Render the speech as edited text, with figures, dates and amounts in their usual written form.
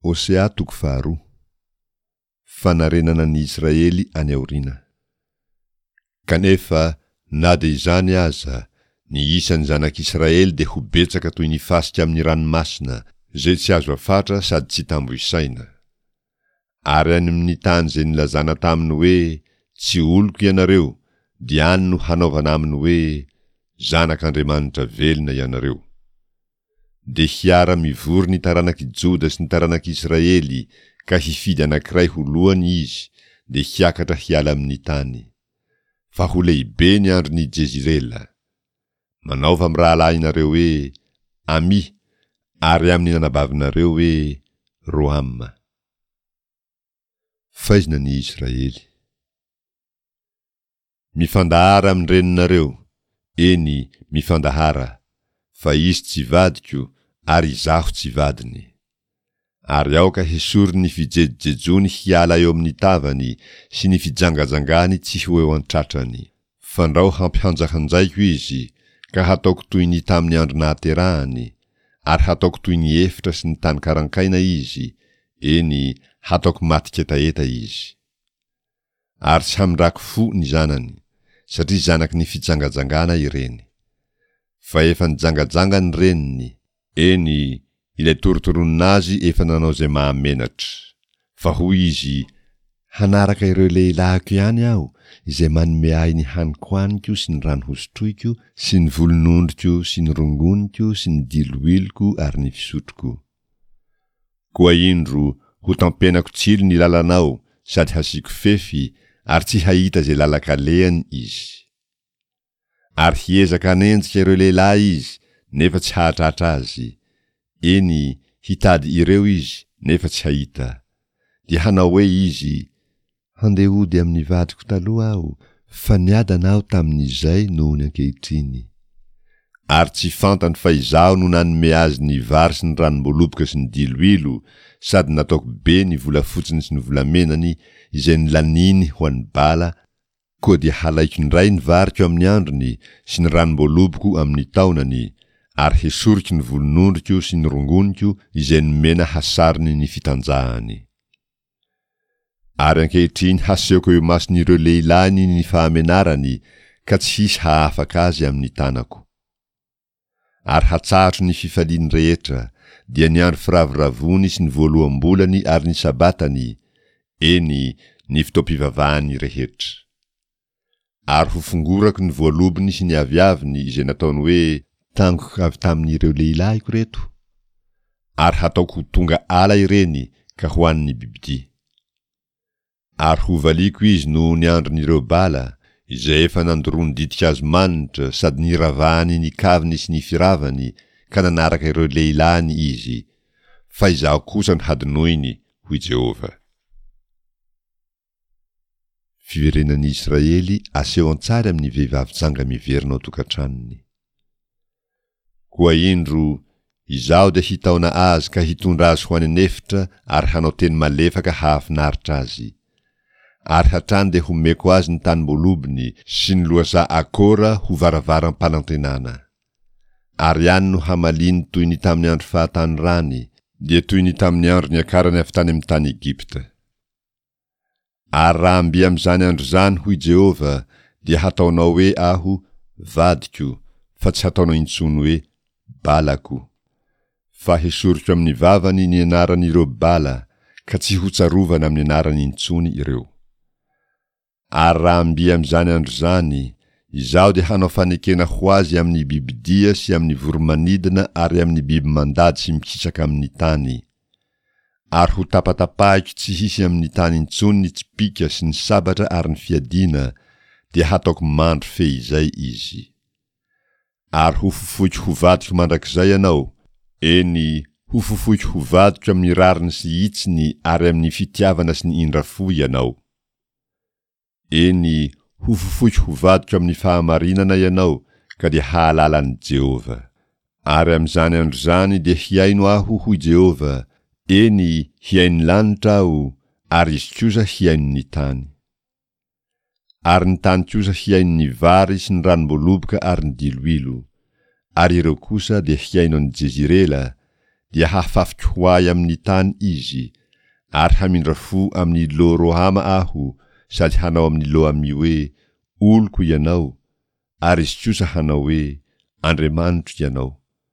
Hosea toko faharoa. Fanarenana ny Israely any aoriana. Kanefa, na dia izany aza, ny isan'ny zanak'Israely dia ho betsaka toy ny fasika amin'ny ranomasina, izay tsy azo afatra sady tsy tambo isaina. Ary any amin'ny tany izay nilazana taminy hoe, Tsy oloko ianareo, dia any no hanaovana aminy hoe, Zanak'Andriamanitra velona ianareo. Dia hiara-mivory ny taranak'i Joda sy ny taranak'i Israely ka hifidy anankiray ho lohany izy, dia hiakatra hiala amin'ny tany. Fa ho lehibe ny andron'i Jezirela. Manaova amin'ny rahalahinareo hoe, Amỳ, ary amin'ny anabavinareo hoe, Rohama. Faizina ny Israely. Mifandahara amin'ny reninareo, eny, mifandahara, fa izy tsy vadiko ary izaho tsy vadiny. Ary aoka hesoriny ny fijejojejoany hiala eo amin'ny tavany sy ny fijangajangany tsy ho eo an-tratrany. Fandrao hampihanjahanjaiko izy, ka hataoko toy ny tamin'ny andro nahaterahany, ary hataoko toy ny efitra sy ny tany karankaina izy, eny, hataoko matin-ketaheta izy. Ary tsy hamindrako fo ny zanany, satria zanaky ny fijangajangana ireny. Fa efa nijangajanga ny reniny, eny, ilay torotoronina azy efa nanao izay mahamenatra. Fa hoy izy, Hanaraka ireo lehilahiko ihany aho, izay manome ahy ny haniko haniko sy ny rano hosotroiko sy ny volonondriko sy ny rongoniko sy ny diloiloko ary ny fisotroko. Koa indro, ho tampenako tsilo ny lalanao sady hasiako fefy, ary tsy hahita izay lalan-kalehany izy. Ary hiezaka hanenjika ireo lehilahy izy, nefa tsy hahatratra azy, eny, hitady ireo izy, nefa tsy hahita. Dia hanao hoe izy, Handeha hody amin'ny vadiko taloha aho, fa niadana aho tamin'izay noho ny ankehitriny. Ary tsy fantany fa izaho no nanome azy ny vary sy ny ranom-boaloboka sy ny diloilo, sady nataoko be ny volafotsiny sy ny volamenany izay nolaniany ho an'i Bala, koa dia halaiko indray ny variko amin'ny androny sy ny ranom-boaloboko amin'ny taonany, ary hesoriko ny volonondriko sy ny rongoniko izay nomena hasarony ny fitanjahany. Ary ankehitriny hasehoko eo imason'ireo lehilahiny ny fahamenarany ka tsy hisy hahafaka azy amin'ny tanako. Ary hatsahatro ny fifaliany rehetra, dia ny andro firavoravoany sy ny voaloham-bolany ary ny sabatany, eny, ny fotoam-pivavahany rehetra. Ary hofongorako ny voalobony sy ny aviaviny izay nataony hoe tangoko avy tamin'ireo lehilahiko ireto, ary hataoko ho tonga ala ireny ka hohanin'ny bibidia. Ary hovaliako izy noho ny andron'ireo bala, izay efa nandoroany ditin-kazo manitra sady niravahany ny kaviny sy ny firavany ka nanaraka ireo lehilahiny izy, fa izaho kosa no hadinoiny, hoy Jehovah. Fiverenan'i Israely aseho an-tsary amin'ny vehivavy janga miverina ao an-tokantranony. Koa indro, Izaho dia hitaona azy ka hitondra azy ho any an'efitra ary hanao teny malefaka hahafinaritra azy. Ary hatrany dia homeko azy ny tanim-boalobony sy ny lohasaha Akora ho varavaram-panantenana. Ary any no hamaliany toy ny tamin'ny andro fahatanorany, dia toy ny tamin'ny andro niakarany avy tany amin'ny tany Egypta. Ary raha mby amin'izany andro izany, hoy Jehovah, dia hataonao hoe Aho, vadiko, fa tsy hataonao intsony hoe, Balako. Fa hesoriko amin'ny vavany ny anaran'ireo Bala, ka tsy hotsarovana amin'ny anarany intsony ireo. Ary raha mby amin'izany andro izany, Izaho dia hanao fanekena ho azy amin'ny bibidia sy amin'ny voro-manidina ary amin'ny biby mandady sy mikisaka amin'ny tany. Ary ho tapatapahiko tsy hisy amin'ny tany intsony ny tsipìka sy ny sabatra ary ny fiadiana, dia hataoko mandry feizay izy. Ary hofofoiko ho vadiko mandrakizay ianao, eny, hofofoiko ho vadiko amin'ny rariny sy hitsiny ary amin'ny fitiavana sy ny indra fo ianao. Eny, hofofoiko ho vadiko amin'ny fahamarinana ianao, ka dia hahalala an'i Jehovah. Ary amin'izany andro izany dia hihaino Aho, hoy Jehovah, eny, hihaino ny lanitra Aho, ary izy kosa hihaino ny tany. Ary ny tany kosa hihaino ny vary sy ny ranom-boaloboka ary ny diloilo. Ary ireo kosa dia hihaino an'i Jezirela, dia hafafiko ho ahy amin'ny tany izy, ary hamindra fo amin'i Lo-Rohama Aho sady hanao amin'i Lo-Amy hoe, Oloko ianao, ary izy kosa hanao hoe, Andriamanitro ianao.